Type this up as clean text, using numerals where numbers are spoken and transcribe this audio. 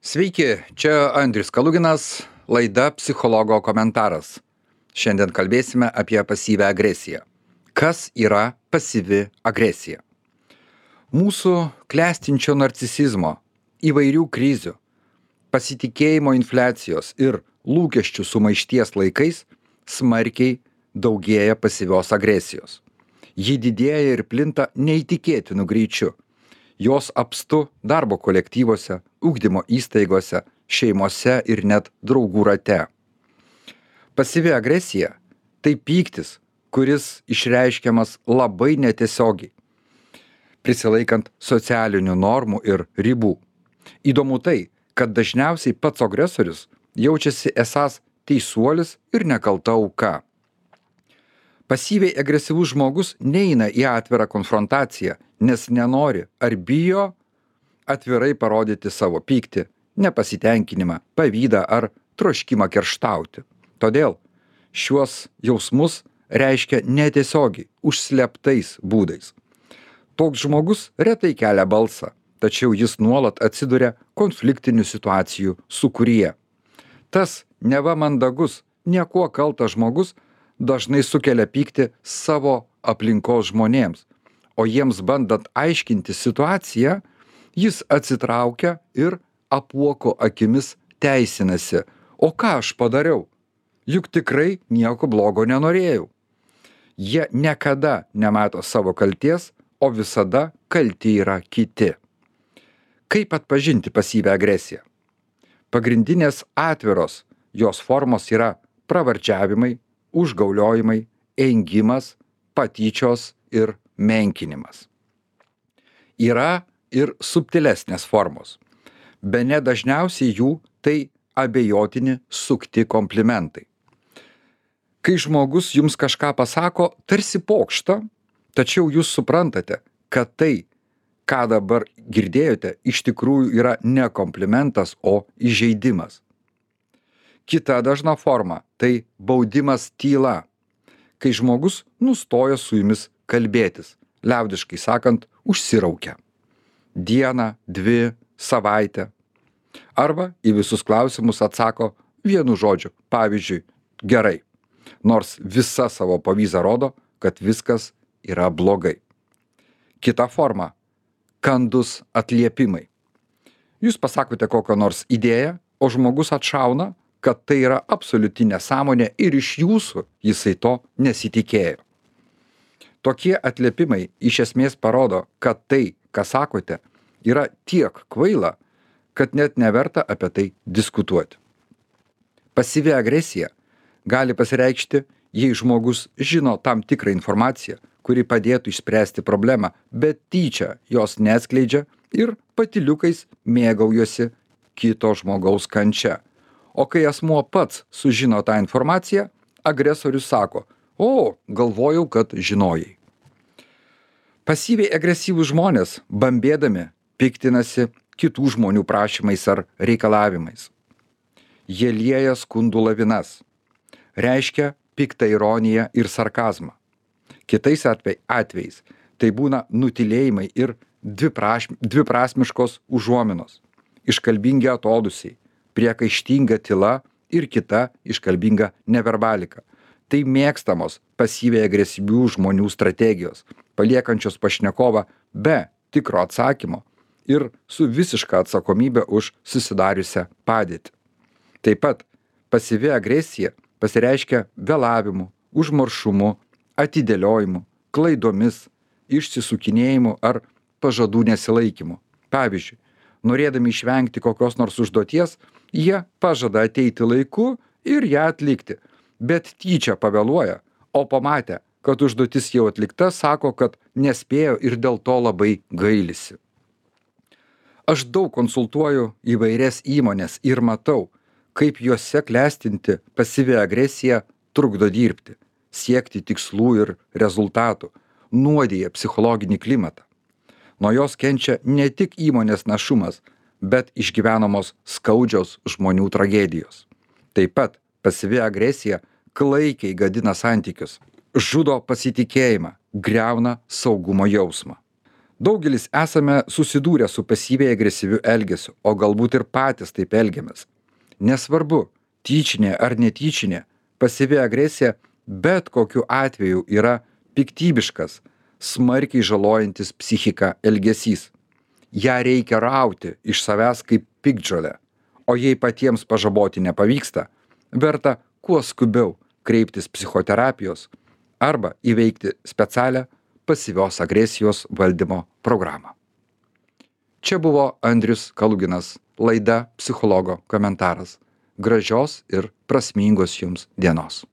Sveiki, čia Andrius Kaluginas, laida Psichologo komentaras. Šiandien kalbėsime apie pasyvią agresiją. Kas yra pasyvi agresija? Mūsų klestinčio narcisizmo, įvairių krizių, pasitikėjimo infliacijos ir lūkesčių sumaišties laikais smarkiai daugėja pasyvios agresijos. Ji didėja ir plinta neįtikėtinu greičiu. Jos apstu darbo kolektyvuose, ugdymo įstaigose, šeimose ir net draugų rate. Pasyvi agresija – tai pyktis, kuris išreiškiamas labai netiesiogiai, prisilaikant socialinių normų ir ribų. Įdomu tai, kad dažniausiai pats agresorius jaučiasi esąs teisuolis ir nekalta auka. Pasyviai agresyvus žmogus neina į atvirą konfrontaciją, nes nenori ar bijo atvirai parodyti savo pyktį, nepasitenkinimą, pavydą ar troškimą kerštauti. Todėl šiuos jausmus reiškia netiesiogiai, užslėptais būdais. Toks žmogus retai kelia balsą, tačiau jis nuolat atsiduria konfliktinių situacijų sūkuryje. Tas neva mandagus, niekuo kaltas žmogus dažnai sukelia pyktį savo aplinkos žmonėms, o jiems bandant aiškinti situaciją, jis atsitraukia ir apuoko akimis teisinasi. O ką aš padariau? Juk tikrai nieko blogo nenorėjau. Jie niekada nemato savo kalties, o visada kalti yra kiti. Kaip atpažinti pasyvią agresiją? Pagrindinės atviros jos formos yra pravardžiavimai, užgauliojimai, engimas, patyčios ir menkinimas. Yra ir subtilesnės formos. Bene dažniausiai jų tai abejotini sukti komplimentai. Kai žmogus jums kažką pasako, tarsi pokštą, tačiau jūs suprantate, kad tai, ką dabar girdėjote, iš tikrųjų yra ne komplimentas, o įžeidimas. Kita dažna forma – tai baudimas tyla, kai žmogus nustoja su jumis kalbėtis, liaudiškai sakant, užsiraukia. Dieną, 2, savaitę. Arba į visus klausimus atsako vienu žodžiu, pavyzdžiui, gerai, nors visa savo pavyza rodo, kad viskas yra blogai. Kita forma – kandus atliepimai. Jūs pasakote kokią nors idėją, o žmogus atšauna, kad tai yra absoliuti nesąmonė ir iš jūsų jisai to nesitikėjo. Tokie atliepimai iš esmės parodo, kad tai, ką sakote, yra tiek kvaila, kad net neverta apie tai diskutuoti. Pasyvi agresija gali pasireikšti, jei žmogus žino tam tikrą informaciją, kuri padėtų išspręsti problemą, bet tyčia jos neatskleidžia ir patyliukais mėgaujosi kito žmogaus kančia. O kai asmuo pats sužino tą informaciją, agresorius sako, o, galvojau, kad žinojai. Pasyviai agresyvūs žmonės, bambėdami, piktinasi kitų žmonių prašymais ar reikalavimais. Jie lieja skundų lavinas, reiškia piktą ironiją ir sarkazmą. Kitais atvejais tai būna nutylėjimai ir dviprasmiškos užuominos, iškalbingi atodūsiai, priekaištinga tyla ir kita iškalbinga neverbalika. Tai mėgstamos pasyviai agresyvių žmonių strategijos, paliekančios pašnekovą be tikro atsakymo ir su visiška atsakomybė už susidariusią padėtį. Taip pat pasyvi agresija pasireiškia vėlavimu, užmaršumu, atidėliojimu, klaidomis, išsisukinėjimu ar pažadų nesilaikymu. Pavyzdžiui, norėdami išvengti kokios nors užduoties, jie pažada ateiti laiku ir ją atlikti, bet tyčia pavėluoja, o pamatę, kad užduotis jau atlikta, sako, kad nespėjo ir dėl to labai gailisi. Aš daug konsultuoju įvairias įmones ir matau, kaip juose klestinti pasyvi agresija trukdo dirbti, siekti tikslų ir rezultatų, nuodija psichologinį klimatą. Nuo jos kenčia ne tik įmonės našumas, bet išgyvenamos skaudžios žmonių tragedijos. Taip pat pasyvi agresija klaikiai gadina santykius, žudo pasitikėjimą, griauna saugumo jausmą. Daugelis esame susidūrę su pasyviai agresyviu elgesiu, o galbūt ir patys taip elgiamės. Nesvarbu, tyčinė ar netyčinė, pasyvi agresija bet kokiu atveju yra piktybiškas, smarkiai žalojantis psichiką elgesys. Ja reikia rauti iš savęs kaip piktžolę, o jei patiems pažaboti nepavyksta, verta kuo skubiau kreiptis psichoterapijos arba įveikti specialią pasyvios agresijos valdymo programą. Čia buvo Andrius Kaluginas, laida Psichologo komentaras. Gražios ir prasmingos jums dienos.